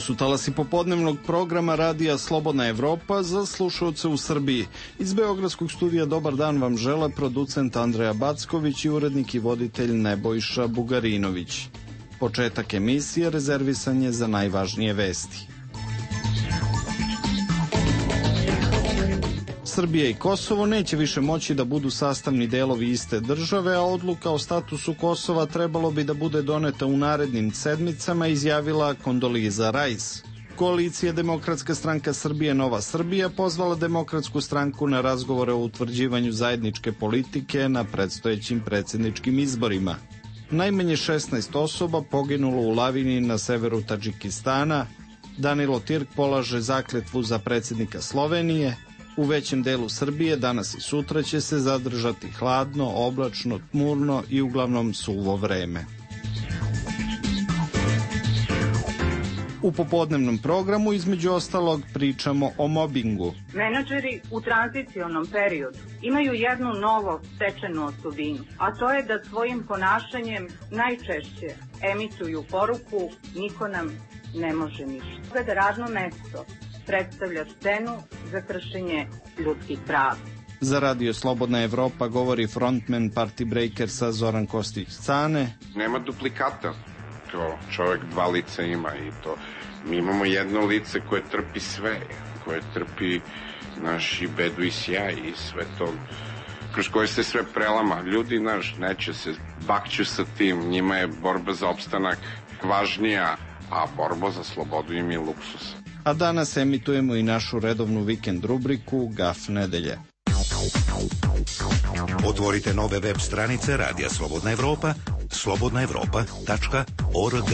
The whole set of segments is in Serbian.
su talasi popodnevnog programa radija Slobodna Evropa za slušaoce u Srbiji. Iz Beogradskog studija dobar dan vam žele producent Andreja Backović i urednik i voditelj Nebojša Bugarinović. Početak emisije rezervisan je za najvažnije vesti. Srbija i Kosovo neće više moći da budu sastavni delovi iste države, a odluka o statusu Kosova trebalo bi da bude doneta u narednim sedmicama, izjavila Kondoliza Rajs. Koalicija Demokratska stranka Srbije Nova Srbija pozvala Demokratsku stranku na razgovore o utvrđivanju zajedničke politike na predstojećim predsjedničkim izborima. Najmanje 16 osoba poginulo u lavini na severu Tadžikistana. Danilo Tirk polaže zakletvu za predsjednika Slovenije. U većem delu Srbije danas i sutra će se zadržati hladno, oblačno, tmurno i uglavnom suvo vreme. U popodnevnom programu između ostalog pričamo o mobingu. Menadžeri u tranzicionom periodu imaju jednu novo stečenu osobinu, a to je da svojim ponašanjem najčešće emituju poruku niko nam ne može ništa. Da radno mesto predstavlja scenu za kršenje ljudskih prava. Za Radio Slobodna Evropa govori frontman Party Breakersa Zoran Kostić-Cane. Nema duplikata, to čovjek dva lica ima i to. Mi imamo jedno lice koje trpi sve, koje trpi naši bedu i sjaj i sve to, kroz koje se sve prelama. Ljudi, neće se, bakću sa tim, njima je borba za opstanak važnija, a borba za slobodu im je luksus. A danas emitujemo i našu redovnu vikend rubriku Gaf nedelje. Otvorite nove web stranice Radija Slobodna Evropa, slobodnaevropa.org.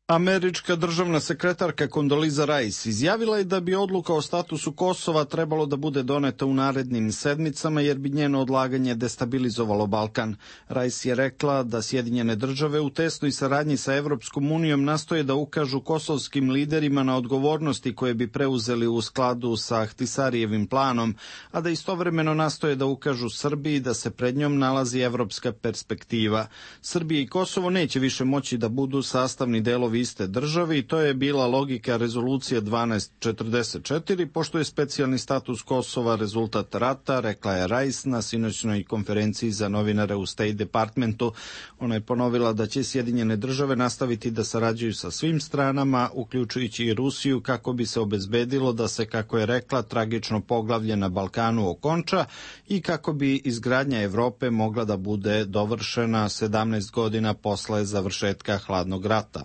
Američka državna sekretarka Kondoliza Rajs izjavila je da bi odluka o statusu Kosova trebalo da bude doneta u narednim sedmicama jer bi njeno odlaganje destabilizovalo Balkan. Rajs je rekla da Sjedinjene države u tesnoj saradnji sa Evropskom unijom nastoje da ukažu kosovskim liderima na odgovornosti koje bi preuzeli u skladu sa Ahtisarijevim planom, a da istovremeno nastoje da ukažu Srbiji da se pred njom nalazi evropska perspektiva. Srbija i Kosovo neće više moći da budu sastavni delovi iste države i to je bila logika rezolucije 1244, pošto je specijalni status Kosova rezultat rata, rekla je Rajs na sinoćnoj konferenciji za novinare u State Departmentu. Ona je ponovila da će Sjedinjene države nastaviti da sarađuju sa svim stranama, uključujući i Rusiju, kako bi se obezbedilo da se, kako je rekla, tragično poglavlje na Balkanu okonča i kako bi izgradnja Evrope mogla da bude dovršena 17 godina posle završetka hladnog rata.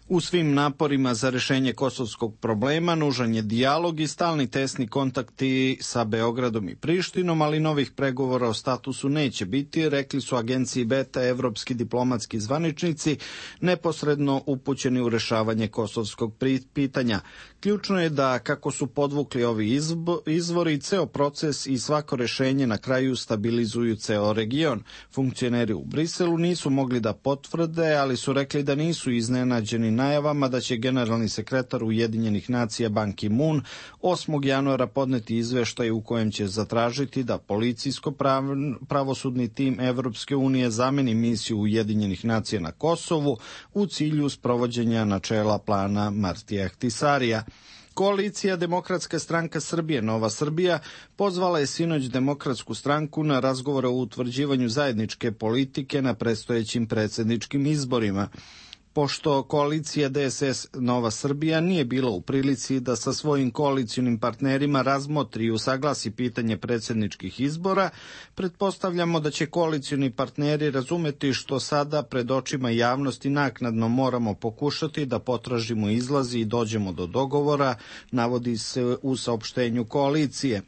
U svim naporima za rešenje kosovskog problema nužan je dijalog i stalni tesni kontakti sa Beogradom i Prištinom, ali novih pregovora o statusu neće biti, rekli su agenciji Beta evropski diplomatski zvaničnici neposredno upućeni u rešavanje kosovskog pitanja. Ključno je da, kako su podvukli ovi izvori, ceo proces i svako rešenje na kraju stabilizuju ceo region. Funkcioneri u Briselu nisu mogli da potvrde, ali su rekli da nisu iznenađeni najavama da će generalni sekretar Ujedinjenih nacija Ban Ki-moon 8. januara podneti izveštaj u kojem će zatražiti da policijsko-pravosudni tim Evropske unije zameni misiju Ujedinjenih nacija na Kosovu u cilju sprovođenja načela plana Martija Ahtisarija. Koalicija Demokratska stranka Srbije Nova Srbija pozvala je sinoć Demokratsku stranku na razgovore o utvrđivanju zajedničke politike na predstojećim predsjedničkim izborima. Pošto koalicija DSS Nova Srbija nije bila u prilici da sa svojim koalicionim partnerima razmotri i usaglasi pitanje predsjedničkih izbora, pretpostavljamo da će koalicioni partneri razumeti što sada pred očima javnosti naknadno moramo pokušati da potražimo izlazi i dođemo do dogovora, navodi se u saopštenju koalicije.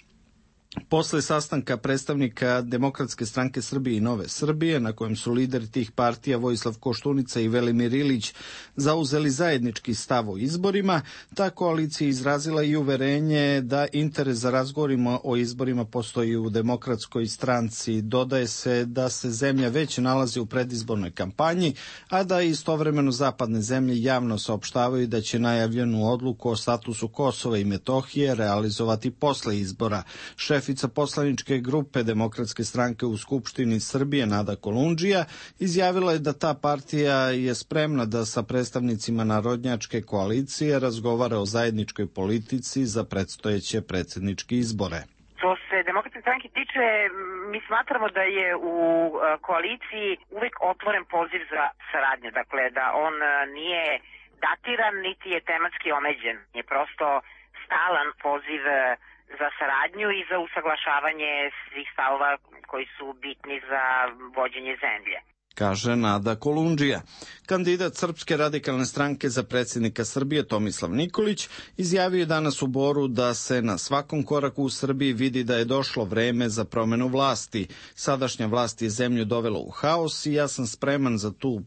Posle sastanka predstavnika Demokratske stranke Srbije i Nove Srbije, na kojem su lideri tih partija Vojislav Koštunica i Velimir Ilić zauzeli zajednički stav o izborima, ta koalicija izrazila i uverenje da interes za razgovorima o izborima postoji u Demokratskoj stranci. Dodaje se da se zemlja već nalazi u predizbornoj kampanji, a da istovremeno zapadne zemlje javno saopštavaju da će najavljenu odluku o statusu Kosova i Metohije realizovati posle izbora. Šef šefica poslaničke grupe Demokratske stranke u Skupštini Srbije Nada Kolundžija izjavila je da ta partija je spremna da sa predstavnicima narodnjačke koalicije razgovara o zajedničkoj politici za predstojeće predsjedničke izbore. Što se Demokratske stranke tiče, mi smatramo da je u koaliciji uvek otvoren poziv za saradnju, dakle da on nije datiran niti je tematski omeđen, je prosto stalan poziv za saradnju i za usaglašavanje svih stavova koji su bitni za vođenje zemlje, kaže Nada Kolundžija. Kandidat Srpske radikalne stranke za predsjednika Srbije Tomislav Nikolić izjavio je danas u Boru da se na svakom koraku u Srbiji vidi da je došlo vreme za promenu vlasti. Sadašnja vlast je zemlju dovela u haos i ja sam spreman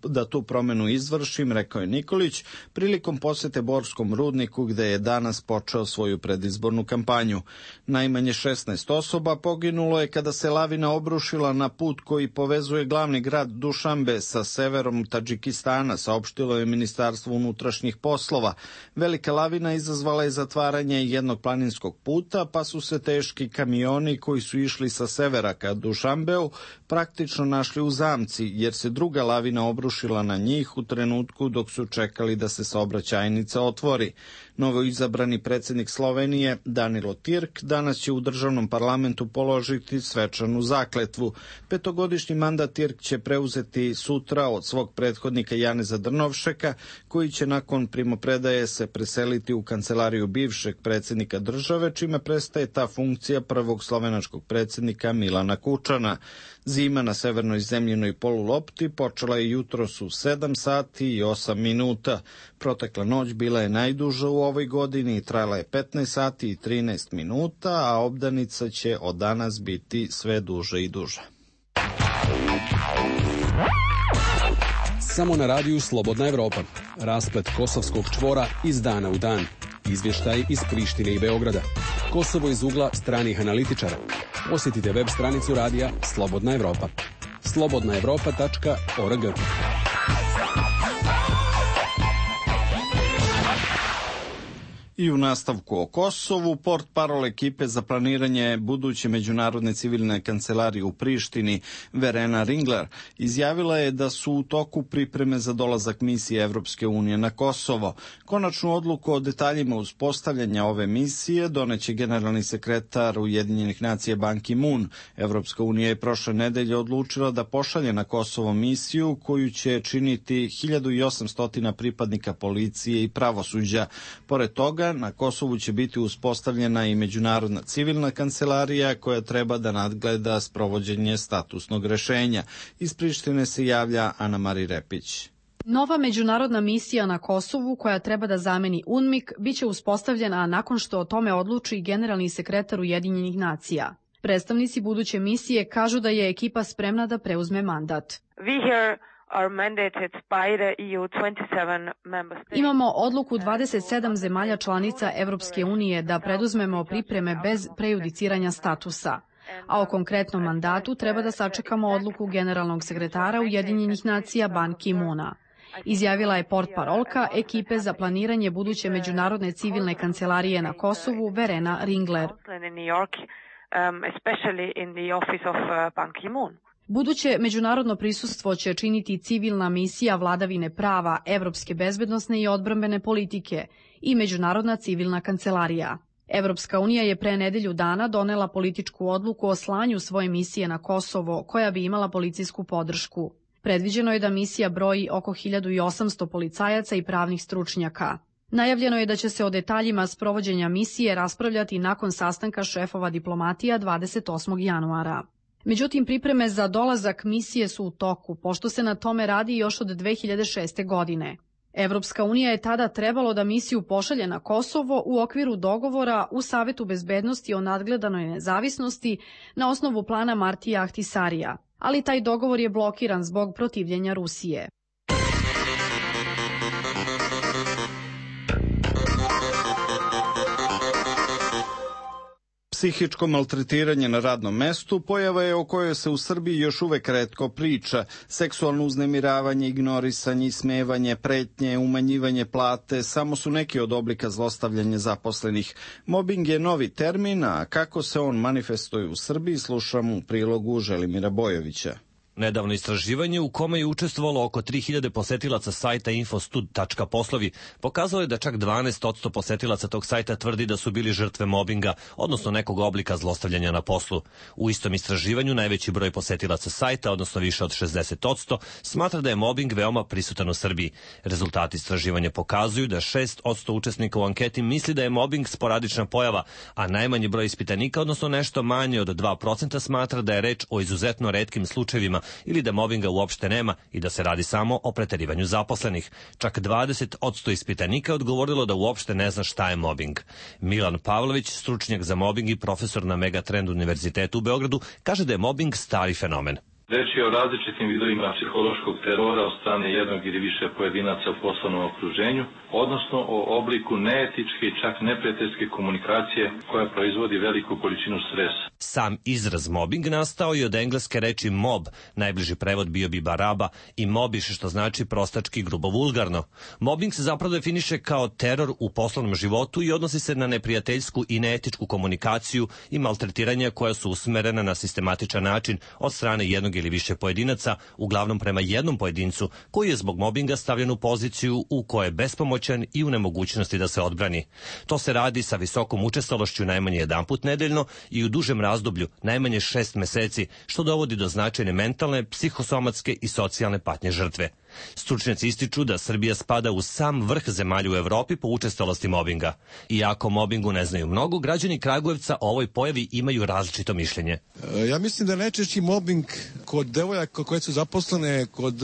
da tu promenu izvršim, rekao je Nikolić prilikom posete Borskom rudniku gde je danas počeo svoju predizbornu kampanju. Najmanje 16 osoba poginulo je kada se lavina obrušila na put koji povezuje glavni grad Dušanbe sa severom Tadžikistana, saopštilo je Ministarstvo unutrašnjih poslova. Velika lavina izazvala je zatvaranje jednog planinskog puta, pa su se teški kamioni koji su išli sa severa ka Dušanbeu praktično našli u zamci, jer se druga lavina obrušila na njih u trenutku dok su čekali da se saobraćajnica otvori. Novoizabrani predsjednik Slovenije Danilo Tirk danas će u državnom parlamentu položiti svečanu zakletvu. Petogodišnji mandat Tirk će preuzeti sutra od svog prethodnika Janeza Drnovšeka, koji će nakon primopredaje se preseliti u kancelariju bivšeg predsjednika države, čime prestaje ta funkcija prvog slovenačkog predsjednika Milana Kučana. Zima na severnoj zemljinoj polulopti počela je jutros u 7 sati i 8 minuta. Protekla noć bila je najduža u ovoj godini i trajala je 15 sati i 13 minuta, a obdanica će od danas biti sve duže i duže. Samo na radiju Slobodna Evropa. Rasplet kosovskog čvora iz dana u dan. Izvještaj iz Prištine i Beograda. Kosovo iz ugla stranih analitičara. Posjetite web stranicu radija Slobodna Evropa. slobodnaevropa.org. I u nastavku o Kosovu, portparol ekipe za planiranje buduće međunarodne civilne kancelarije u Prištini, Verena Ringler, izjavila je da su u toku pripreme za dolazak misije Evropske unije na Kosovo. Konačnu odluku o detaljima uspostavljanja ove misije doneće generalni sekretar Ujedinjenih nacija Ban Ki-moon. Evropska unija je prošle nedelje odlučila da pošalje na Kosovo misiju koju će činiti 1800 pripadnika policije i pravosuđa. Pored toga, na Kosovu će biti uspostavljena i međunarodna civilna kancelarija koja treba da nadgleda sprovođenje statusnog rešenja. Iz Prištine se javlja Ana Mari Repić. Nova međunarodna misija na Kosovu, koja treba da zameni UNMIK, biće uspostavljena nakon što o tome odluči generalni sekretar Ujedinjenih nacija. Predstavnici buduće misije kažu da je ekipa spremna da preuzme mandat. Imamo odluku 27 zemalja članica Evropske unije da preduzmemo pripreme bez prejudiciranja statusa, a o konkretnom mandatu treba da sačekamo odluku generalnog sekretara Ujedinjenih nacija Ban Ki-moona, izjavila je portparolka ekipe za planiranje buduće međunarodne civilne kancelarije na Kosovu Verena Ringler. Buduće međunarodno prisustvo će činiti civilna misija vladavine prava, evropske bezbednosne i odbrambene politike i međunarodna civilna kancelarija. Evropska unija je pre nedelju dana donela političku odluku o slanju svoje misije na Kosovo, koja bi imala policijsku podršku. Predviđeno je da misija broji oko 1800 policajaca i pravnih stručnjaka. Najavljeno je da će se o detaljima sprovođenja misije raspravljati nakon sastanka šefova diplomatija 28. januara. Međutim, pripreme za dolazak misije su u toku, pošto se na tome radi još od 2006. godine. Evropska unija je tada trebalo da misiju pošalje na Kosovo u okviru dogovora u Savetu bezbednosti o nadgledanoj nezavisnosti na osnovu plana Martija Ahtisarija, ali taj dogovor je blokiran zbog protivljenja Rusije. Psihičko maltretiranje na radnom mestu pojava je o kojoj se u Srbiji još uvek retko priča. Seksualno uznemiravanje, ignorisanje, ismevanje, pretnje, umanjivanje plate samo su neki od oblika zlostavljanja zaposlenih. Mobing je novi termin, a kako se on manifestuje u Srbiji slušamo u prilogu Želimira Bojovića. Nedavno istraživanje u kome je učestvovalo oko 3000 posetilaca sajta infostud.poslovi pokazalo je da čak 12% posetilaca tog sajta tvrdi da su bili žrtve mobinga, odnosno nekog oblika zlostavljanja na poslu. U istom istraživanju najveći broj posetilaca sajta, odnosno više od 60%, smatra da je mobing veoma prisutan u Srbiji. Rezultati istraživanja pokazuju da 6% učesnika u anketi misli da je mobing sporadična pojava, a najmanji broj ispitanika, odnosno nešto manje od 2%, smatra da je reč o izuzetno retkim slučajevima ili da mobinga uopšte nema i da se radi samo o preterivanju zaposlenih. Čak 20% ispitanika je odgovorilo da uopšte ne zna šta je mobing. Milan Pavlović, stručnjak za mobing i profesor na Megatrend univerzitetu u Beogradu, kaže da je mobing stari fenomen. Reč je o različitim vidovima psihološkog terora od strane jednog ili više pojedinaca u poslovnom okruženju, odnosno o obliku neetičke i čak neprijateljske komunikacije koja proizvodi veliku količinu stresa. Sam izraz mobing nastao je od engleske reči mob, najbliži prevod bio bi baraba, i mobiš, što znači prostački, grubo, vulgarno. Mobing se zapravo definiše kao teror u poslovnom životu i odnosi se na neprijateljsku i neetičku komunikaciju i maltretiranja koja su usmerena na sistematičan način od strane jednog ili više pojedinaca, uglavnom prema jednom pojedincu koji je zbog mobinga stavljen u poziciju u kojoj je bespomoćan i u nemogućnosti da se odbrani. To se radi sa visokom učestalošću najmanje jedanput nedeljno i u dužem razdoblju najmanje 6 meseci, što dovodi do značajne mentalne, psihosomatske i socijalne patnje žrtve. Stručnjaci ističu da Srbija spada u sam vrh zemalja u Evropi po učestalosti mobinga. Iako mobingu ne znaju mnogo, građani Kragujevca o ovoj pojavi imaju različito mišljenje. Ja mislim da najčešći mobing kod devojaka koje su zaposlene kod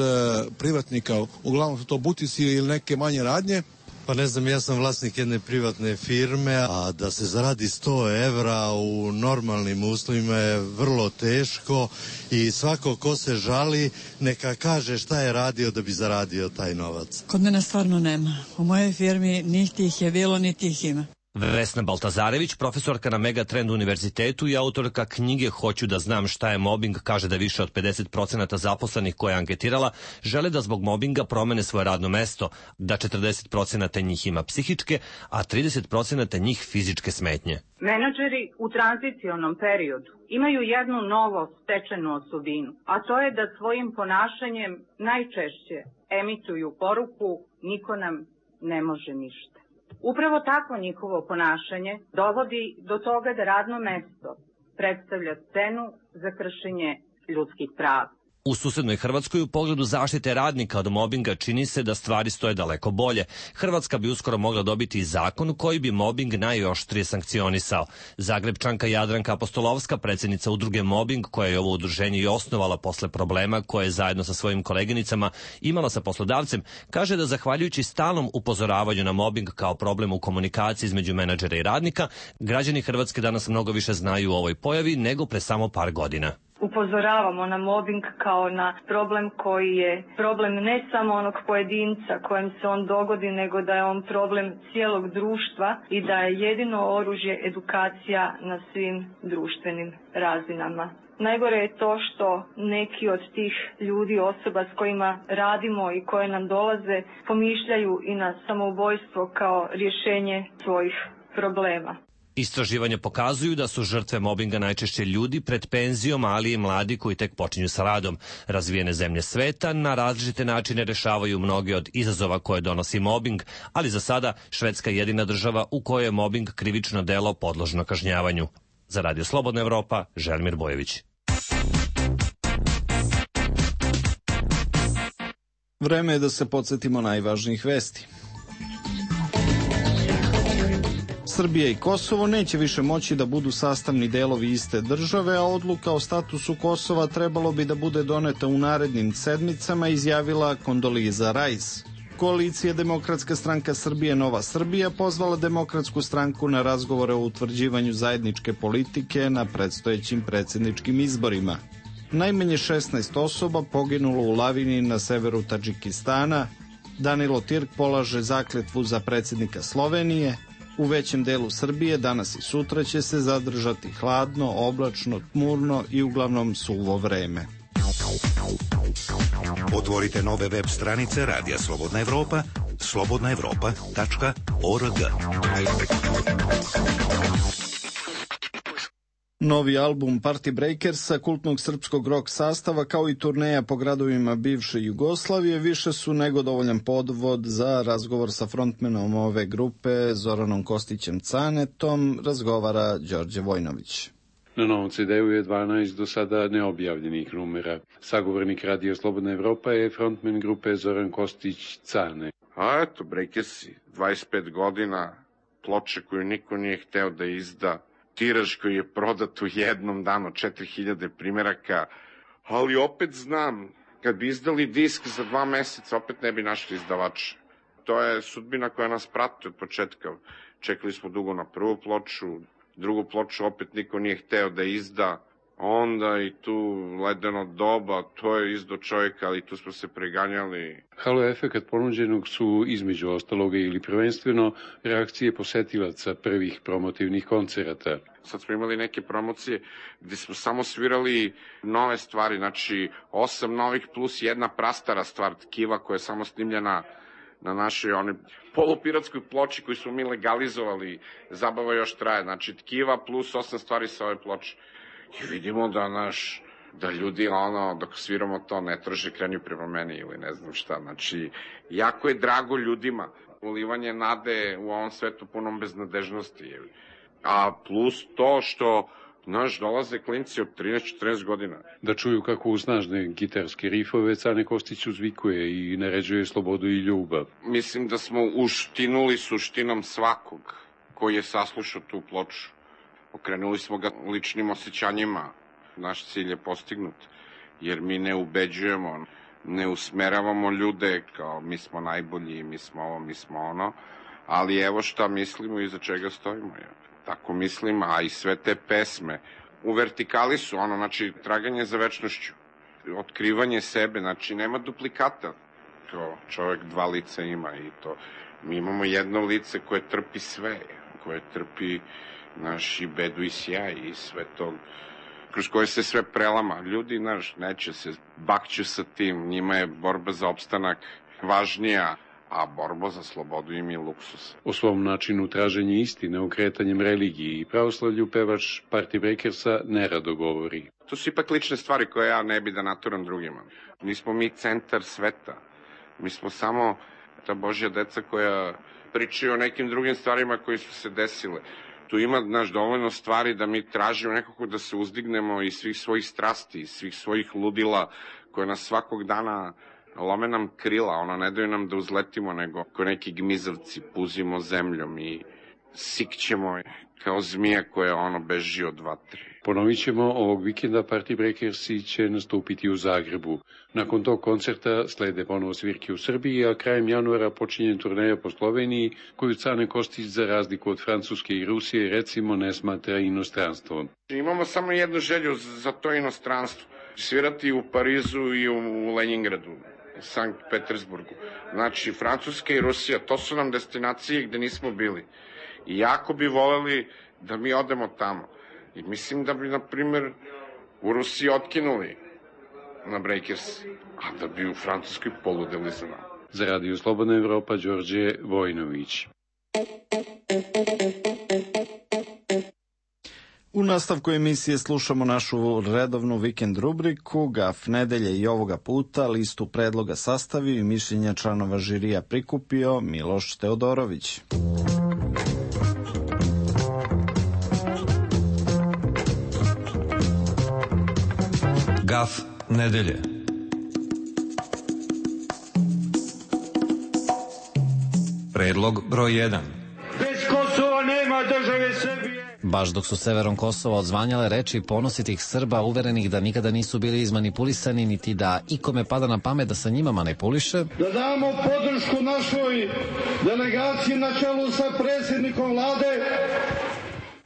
privatnika, uglavnom su to butici ili neke manje radnje. Pa ne znam, ja sam vlasnik jedne privatne firme, a da se zaradi 100 evra u normalnim uslovima je vrlo teško i svako ko se žali neka kaže šta je radio da bi zaradio taj novac. Kod mene stvarno nema. U mojoj firmi niti ih je bilo, niti ih ima. Vesna Baltazarević, profesorka na Megatrend univerzitetu i autorka knjige Hoću da znam šta je mobing, kaže da više od 50% zaposlenih koje je anketirala žele da zbog mobinga promene svoje radno mesto, da 40% njih ima psihičke, a 30% njih fizičke smetnje. Menadžeri u tranzicionom periodu imaju jednu novo stečenu osobinu, a to je da svojim ponašanjem najčešće emituju poruku niko nam ne može ništa. Upravo takvo njihovo ponašanje dovodi do toga da radno mesto predstavlja scenu za kršenje ljudskih prava. U susednoj Hrvatskoj u pogledu zaštite radnika od mobinga čini se da stvari stoje daleko bolje. Hrvatska bi uskoro mogla dobiti i zakon koji bi mobing najoštrije sankcionisao. Zagrebčanka Jadranka Apostolovska, predsjednica udruge Mobing, koja je ovo udruženje i osnovala posle problema koje je zajedno sa svojim koleginicama imala sa poslodavcem, kaže da zahvaljujući stalnom upozoravanju na mobing kao problem u komunikaciji između menadžera i radnika, građani Hrvatske danas mnogo više znaju o ovoj pojavi nego pre samo par godina. Upozoravamo na mobing kao na problem koji je problem ne samo onog pojedinca kojem se on dogodi, nego da je on problem cijelog društva i da je jedino oružje edukacija na svim društvenim razinama. Najgore je to što neki od tih ljudi, osoba s kojima radimo i koje nam dolaze, pomišljaju i na samoubojstvo kao rješenje svojih problema. Istraživanja pokazuju da su žrtve mobinga najčešće ljudi pred penzijom, ali i mladi koji tek počinju sa radom. Razvijene zemlje sveta na različite načine rešavaju mnoge od izazova koje donosi mobing, ali za sada Švedska je jedina država u kojoj je mobing krivično delo podložno kažnjavanju. Za Radio Slobodna Evropa, Želimir Bojović. Vreme je da se podsjetimo najvažnijih vesti. Srbija i Kosovo neće više moći da budu sastavni delovi iste države, a odluka o statusu Kosova trebalo bi da bude doneta u narednim sedmicama, izjavila Kondoliza Rajs. Koalicija Demokratska stranka Srbije Nova Srbija pozvala Demokratsku stranku na razgovore o utvrđivanju zajedničke politike na predstojećim predsjedničkim izborima. Najmanje 16 osoba poginulo u lavini na severu Tadžikistana. Danilo Tirk polaže zakletvu za predsjednika Slovenije. U većem delu Srbije danas i sutra će se zadržati hladno, oblačno, tmurno i uglavnom suvo vreme. Otvorite nove web stranice Radija Slobodna Evropa, slobodnaevropa.org. Novi album Party Breakersa, kultnog srpskog rock sastava, kao i turneja po gradovima bivše Jugoslavije, više su nego dovoljan podvod za razgovor sa frontmenom ove grupe, Zoranom Kostićem Canetom, razgovara Đorđe Vojnović. Na novom CD-u je 12 do sada neobjavljenih numera. Sagovornik Radio Slobodna Evropa je frontmen grupe Zoran Kostić Cane. A eto, Breakersi, 25 godina, ploče koju niko nije hteo da izda, tiraž koji je prodat u jednom danu, 4000 primeraka, ali opet znam, kad bi izdali disk za 2 meseca, opet ne bi našli izdavača. To je sudbina koja nas prati od početka. Čekali smo dugo na prvu ploču, drugu ploču opet niko nije hteo da izda, onda i tu Ledeno doba, to je izdo čovjeka, ali tu smo se preganjali. Halo efekat ponuđenog su između ostaloga ili prvenstveno reakcije posetilaca prvih promotivnih koncerata. Sad smo imali neke promocije gde smo samo svirali nove stvari, znači 8 novih plus jedna prastara stvar, Tkiva koja je samo snimljena na našoj polupiratskoj ploči koju smo mi legalizovali, zabava još traje, znači Tkiva plus 8 stvari sa ove ploče. I vidimo da ljudi, dok sviramo to, ne traže krenju prema meni ili ne znam šta. Znači, jako je drago ljudima. Ulivanje nade u ovom svetu punom beznadežnosti. A plus to što, dolaze klinci od 13-14 godina. Da čuju kako u snažne gitarske rifove Cane Kostić uzvikuje i naređuje slobodu i ljubav. Mislim da smo uštinuli suštinom svakog koji je saslušao tu ploču. Okrenuli smo ga ličnim osjećanjima. Naš cilj je postignut, jer mi ne ubeđujemo, ne usmeravamo ljude kao mi smo najbolji, mi smo ovo, mi smo ono, ali evo šta mislimo i za čega stojimo. Tako mislim, a i sve te pesme u vertikali su, znači traganje za večnošću, otkrivanje sebe, znači nema duplikata. To čovjek 2 lica ima i to. Mi imamo jedno lice koje trpi sve, koje trpi naši bedu i sjaj i sve to, kroz koje se sve prelama. Ljudi, neće se, bakću sa tim, njima je borba za opstanak važnija, a borba za slobodu im je luksus. O svom načinu traženja istine, okretanjem religiji i pravoslavlju pevač Party Breakersa nerado govori. To su ipak lične stvari koje ja ne bi da naturam drugima. Nismo mi centar sveta. Mi smo samo ta Božja deca koja pričaju o nekim drugim stvarima koji su se desile. Tu ima dovoljno stvari da mi tražimo nekako da se uzdignemo iz svih svojih strasti, iz svih svojih ludila koje nas svakog dana lome nam krila, ne daju nam da uzletimo, nego ko neki gmizavci puzimo zemljom i sikćemo kao zmija koja beži od vatre. Ponovit ćemo, ovog vikenda Party Breakersi će nastupiti u Zagrebu. Nakon tog koncerta slede ponovo svirke u Srbiji, a krajem januara počinje turneja po Sloveniji, koju Cane Kostić, za razliku od Francuske i Rusije, recimo ne smatra inostranstvom. Imamo samo jednu želju za to inostranstvo. Svirati u Parizu i u Leningradu, Sankt Petersburgu. Znači, Francuska i Rusija, to su nam destinacije gde nismo bili. I jako bi voleli da mi odemo tamo. I mislim da bi, na primer, u Rusiji otkinuli na Breakers, a da bi u Francuskoj poludeli za nama. Za Radio Slobodna Evropa, Đorđe Vojnović. U nastavku emisije slušamo našu redovnu vikend rubriku Gaf nedelje i ovoga puta listu predloga sastavio i mišljenja članova žirija prikupio Miloš Teodorović. Gaf nedelje. Predlog broj 1. Bez Kosova nema države Srbije. Baš dok su severom Kosova odzvanjale reči ponositih Srba uverenih da nikada nisu bili izmanipulisani niti da ikome pada na pamet da sa njima manipuliše, da damo podršku našoj delegaciji na čelu sa predsjednikom vlade.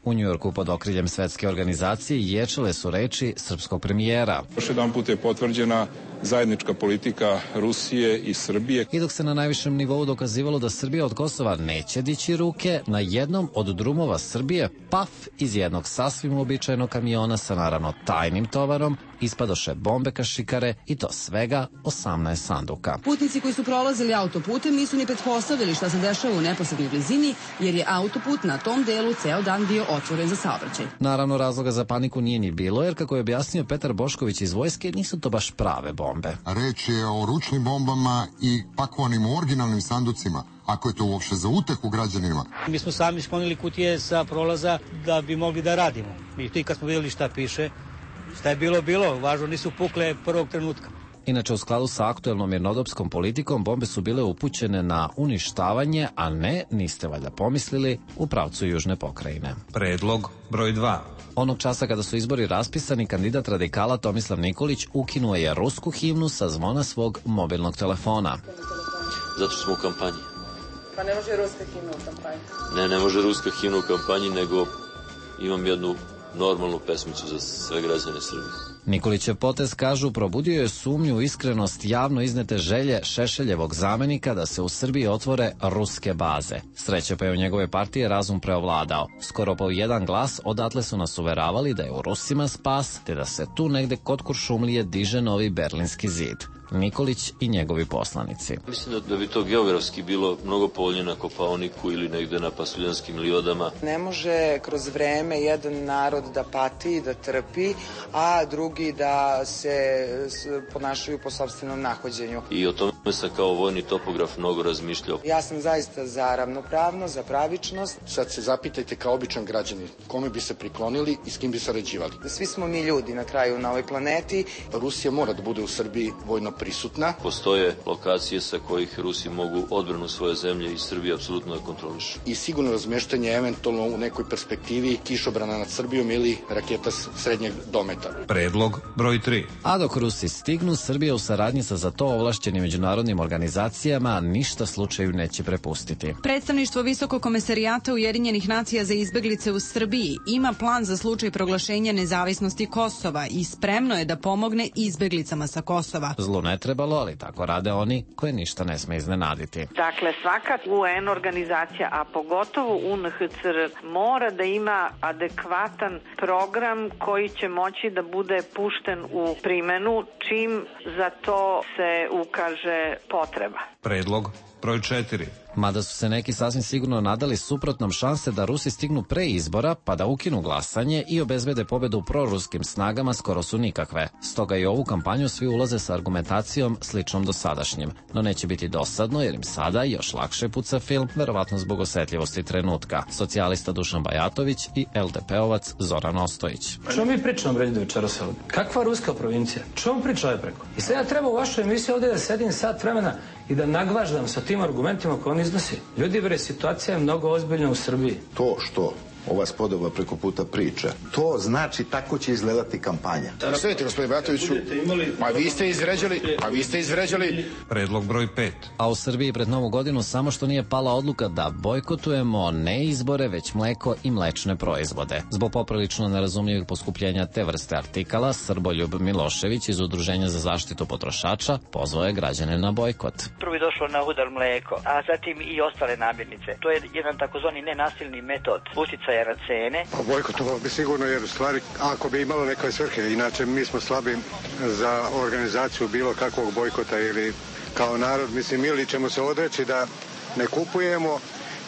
U Njujorku pod okriljem svetske organizacije ječale su reči srpskog premijera. Još jedan put je potvrđena zajednička politika Rusije i Srbije. I dok se na najvišem nivou dokazivalo da Srbija od Kosova neće dići ruke, na jednom od drumova Srbije, paf, iz jednog sasvim uobičajenog kamiona sa naravno tajnim tovarom, ispadoše bombe kašikare i to svega 18 sanduka. Putnici koji su prolazili autoputem nisu ni pretpostavili šta se dešava u neposrednoj blizini, jer je autoput na tom delu ceo dan bio otvoren za saobraćaj. Naravno, razloga za paniku nije ni bilo, jer kako je objasnio Petar Bošković iz vojske, nisu to baš prave bombe. Reč je o ručnim bombama i pakovanim u originalnim sanducima, ako je to uopšte za utehu građanima. Mi smo sami sklonili kutije sa prolaza da bi mogli da radimo. I ti kad smo vidjeli šta piše, šta je bilo, važno nisu pukle prvog trenutka. Inače, u skladu sa aktuelnom mirnodopskom politikom, bombe su bile upućene na uništavanje, a ne, niste valjda pomislili, u pravcu južne pokrajine. Predlog broj 2. Onog časa kada su izbori raspisani, kandidat radikala Tomislav Nikolić ukinuo je rusku himnu sa zvona svog mobilnog telefona. Zato što smo u kampanji. Pa ne može ruska himna u kampanji? Ne može ruska himna u kampanji, nego imam jednu normalnu pesmicu za sve građane Srbije. Nikolićev potez, kažu, probudio je sumnju u iskrenost javno iznete želje Šešeljevog zamenika da se u Srbiji otvore ruske baze. Sreće pa je u njegove partije razum preovladao. Skoro po jedan glas odatle su nas uveravali da je u Rusima spas, te da se tu negde kod Kuršumlije diže novi Berlinski zid. Nikolić i njegovi poslanici. Mislim da bi to geografski bilo mnogo povoljnije na Kopaoniku ili negde na Pasuljanskim livadama. Ne može kroz vreme jedan narod da pati, da trpi, a drugi da se ponašaju po sopstvenom nahođenju. I o tome sam kao vojni topograf mnogo razmišljao. Ja sam zaista za ravnopravnost, za pravičnost. Sad se zapitajte kao običan građanin, kome bi se priklonili i s kim bi sarađivali. Svi smo mi ljudi na kraju na ovoj planeti. Rusija mora da bude u Srbiji vojno prisutna. Postoje lokacije sa kojih Rusi mogu odbranu svoje zemlje i Srbije apsolutno da kontrolišu. I sigurno razmeštanje eventualno u nekoj perspektivi kišobrana nad Srbijom ili raketa srednjeg dometa. Predlog broj 3. A dok Rusi stignu, Srbija u saradnji sa za to ovlašćenim međunarodnim organizacijama ništa slučaju neće prepustiti. Predstavništvo Visokog komesarijata Ujedinjenih nacija za izbeglice u Srbiji ima plan za slučaj proglašenja nezavisnosti Kosova i spremno je da pomogne izbeglicama sa Kosova. Zlu ne trebalo, ali tako rade oni koje ništa ne sme iznenaditi. Dakle, svaka UN organizacija, a pogotovo UNHCR, mora da ima adekvatan program koji će moći da bude pušten u primenu čim za to se ukaže potreba. Predlog broj 4. Mada su se neki sasvim sigurno nadali suprotnom, šanse da Rusi stignu pre izbora pa da ukinu glasanje i obezbede pobedu proruskim snagama skoro su nikakve. Stoga i ovu kampanju svi ulaze sa argumentacijom sličnom dosadašnjim. No neće biti dosadno jer im sada još lakše puca film, verovatno zbog osetljivosti trenutka. Socijalista Dušan Bajatović i LDP-ovac Zoran Ostojić. Što mi pričamo ovdje večeras ovdje? Kakva ruska provincija? Što priča ovaj preko? I sad ja treba u vašoj emisiji ovdje da sedim sat vremena i da nagvaždam sa tim argumentima koje on iznosi. Ljudi, bre, situacija je mnogo ozbiljna u Srbiji. To što ova spodoba preko puta priča, to znači tako će izgledati kampanja. Stojite, gospodine Bajatoviću, vi ste izvređali. Predlog broj 5. A u Srbiji pred Novu godinu samo što nije pala odluka da bojkotujemo ne izbore, već mleko i mlečne proizvode. Zbog poprilično nerazumljivih poskupljenja te vrste artikala, Srboljub Milošević iz Udruženja za zaštitu potrošača pozvao je građane na bojkot. Prvo je došlo na udar mleko, a zatim i ostale namirnice. To je jedan takozvani nenasilni metod uticaja na cene. Bojkotovao bi sigurno, jer u stvari ako bi imalo neke svrhe, inače mi smo slabi za organizaciju bilo kakvog bojkota ili kao narod, mislim, ili ćemo se odreći da ne kupujemo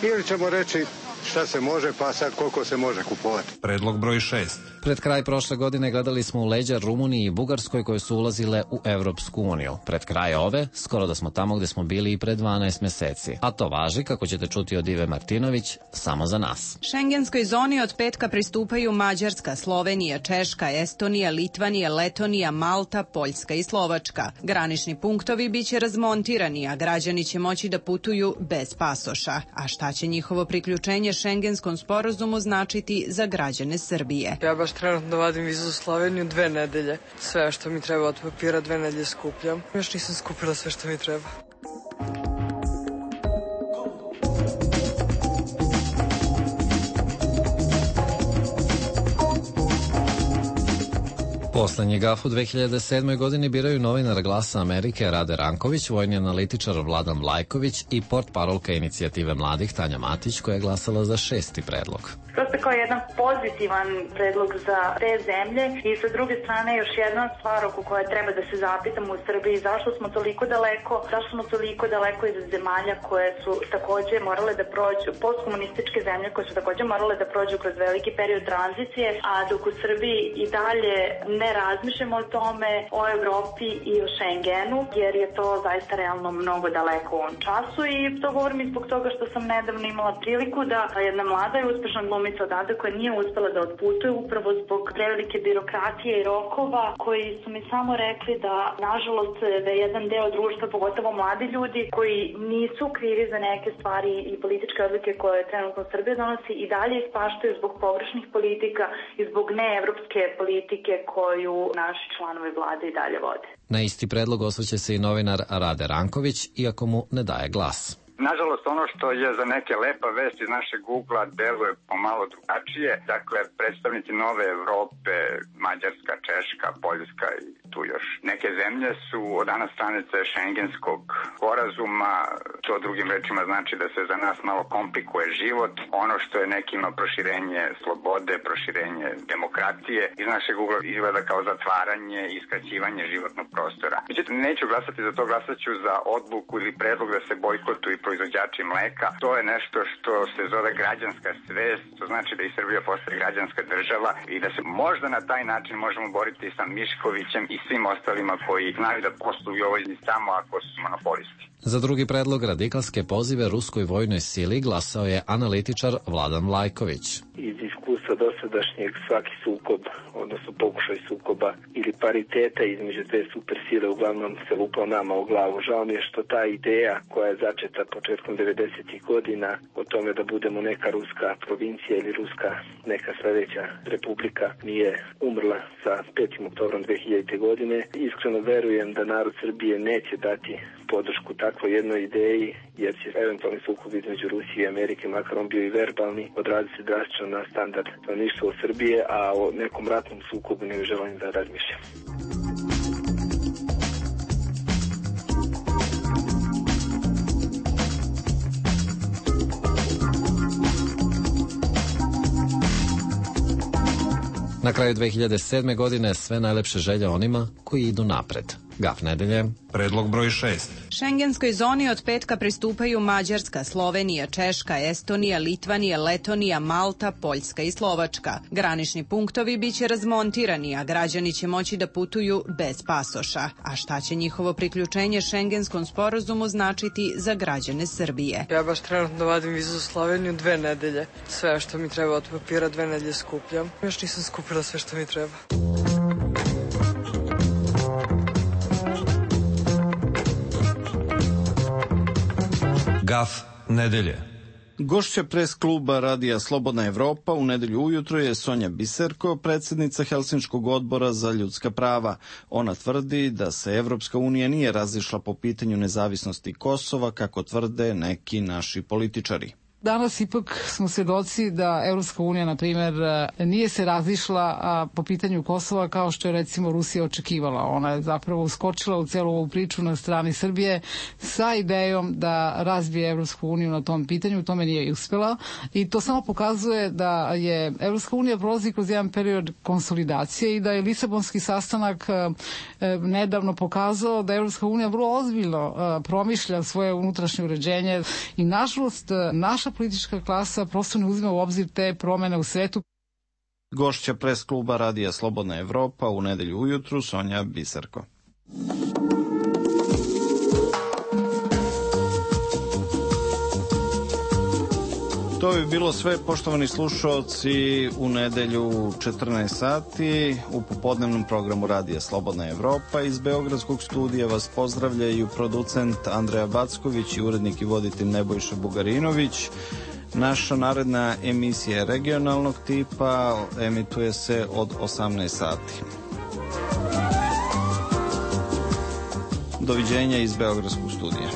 ili ćemo reći šta se može, pa sad koliko se može kupovati. Predlog broj 6. Pred kraj prošle godine gledali smo u leđa Rumuniji i Bugarskoj koje su ulazile u Evropsku uniju. Pred kraj ove, skoro da smo tamo gde smo bili i pre 12 meseci. A to važi, kako ćete čuti od Ive Martinović, samo za nas. Šengenskoj zoni od petka pristupaju Mađarska, Slovenija, Češka, Estonija, Litvanija, Letonija, Malta, Poljska i Slovačka. Granični punktovi biće razmontirani, a građani će moći da putuju bez pasoša. A šta će njihovo priključenje Šengenskom sporazumu značiti za građane Srbije? Ja baš trenutno vadim vizu u Sloveniju 2 nedelje. Sve što mi treba od papira 2 nedelje skupljam. Još nisam skupila sve što mi treba. Poslednji gaf u 2007. godini biraju novinar Glasa Amerike Rade Ranković, vojni analitičar Vladan Vlajković i portparolka inicijative mladih Tanja Matić, koja je glasala za 6. predlog. Prosto kao jedan pozitivan predlog za te zemlje i sa druge strane još jedna stvar oko koje treba da se zapitamo u Srbiji, zašto smo toliko daleko iz zemalja koje su takođe morale da prođu, postkomunističke zemlje koje su takođe morale da prođu kroz veliki period tranzicije, a dok u Srbiji i dalje ne razmišljamo o tome, o Evropi i o Schengenu, jer je to zaista realno mnogo daleko u ovom času i to govorim i zbog toga što sam nedavno imala priliku da jedna mlada i uspešna glumica odavde koja nije uspela da otputuje upravo zbog prevelike birokratije i rokova koji su mi samo rekli da nažalost da je jedan deo društva, pogotovo mladi ljudi koji nisu krivi za neke stvari i političke odluke koje trenutno Srbija donosi i dalje ispaštaju zbog pogrešnih politika i zbog neevropske politike koju naši članovi vlade i dalje vode. Na isti predlog osvrće se i novinar Rade Ranković, iako mu ne daje glas. Nažalost, ono što je za neke lepa vest iz našeg Google-a deluje pomalo drugačije. Dakle, predstavnici Nove Evrope, Mađarska, Češka, Poljska i tu još neke zemlje su od danas stranice Schengenskog sporazuma. To drugim rečima znači da se za nas malo komplikuje život. Ono što je nekima proširenje slobode, proširenje demokratije, iz našeg Google-a izgleda kao zatvaranje i skraćivanje životnog prostora. Međutim, neću glasati za to, glasaću za odluku ili predlog da se bojkotuju proizvođači mleka. To je nešto što se zove građanska svest, to znači da i Srbija postaje građanska država i da se možda na taj način možemo boriti sa Miškovićem i svim ostalima koji znaju da posluju ovoj samo ako su monopolisti. Za drugi predlog radikalske pozive ruskoj vojnoj sili glasao je analitičar Vladan Vlajković. Iz iskustva dosadašnjeg svaki sukob, odnosno pokušaj sukoba ili pariteta između dve supersile uglavnom se lupao nama u glavu. Žao mi je što ta ideja koja je začeta početkom 90. godina o tome da budemo neka ruska provincija ili ruska neka sledeća republika nije umrla sa 5. oktobrom 2000. godine. Iskreno verujem da narod Srbije neće dati podršku takvoj jednoj ideji, jer će eventualni sukob između Rusije i Amerike, makar on bio i verbalni, odraziti se drastično na standard stanovništva u Srbije, a o nekom ratnom sukobu ne želim da razmišljam. Na kraju 2007. godine sve najlepše želje onima koji idu napred. Gaf nedelje. Predlog broj 6. Šengenskoj zoni od petka pristupaju Mađarska, Slovenija, Češka, Estonija, Litvanija, Letonija, Malta, Poljska i Slovačka. Granični punktovi biće razmontirani, a građani će moći da putuju bez pasoša. A šta će njihovo priključenje Šengenskom sporazumu značiti za građane Srbije? Ja baš trenutno vadim vizu za Sloveniju 2 nedelje. Sve što mi treba od papira 2 nedelje skupljam. Još nisam skupila sve što mi treba. Gaf nedelje. Gošća pres kluba Radija Slobodna Evropa u nedelju ujutro je Sonja Biserko, predsjednica Helsinškog odbora za ljudska prava. Ona tvrdi da se Evropska unija nije razišla po pitanju nezavisnosti Kosova, kako tvrde neki naši političari. Danas ipak smo svedoci da Evropska unija, na primjer, nije se razišla po pitanju Kosova kao što je recimo Rusija očekivala. Ona je zapravo uskočila u celu ovu priču na strani Srbije sa idejom da razbije Evropsku uniju na tom pitanju. Tome nije uspela i to samo pokazuje da je Evropska unija prolazi kroz jedan period konsolidacije i da je Lisabonski sastanak nedavno pokazao da Evropska unija vrlo ozbiljno promišlja svoje unutrašnje uređenje i nažalost naša politička klasa prosto ne uzima u obzir te promene u svetu. Gošća pres kluba Radija Slobodna Evropa u nedelju ujutru Sonja Biserko. To bi bilo sve, poštovani slušalci, u nedelju 14 sati u popodnevnom programu Radija Slobodna Evropa. Iz Beogradskog studija vas pozdravljaju producent Andreja Backović i urednik i voditelj Nebojša Bugarinović. Naša naredna emisija je regionalnog tipa, emituje se od 18 sati. Doviđenja iz Beogradskog studija.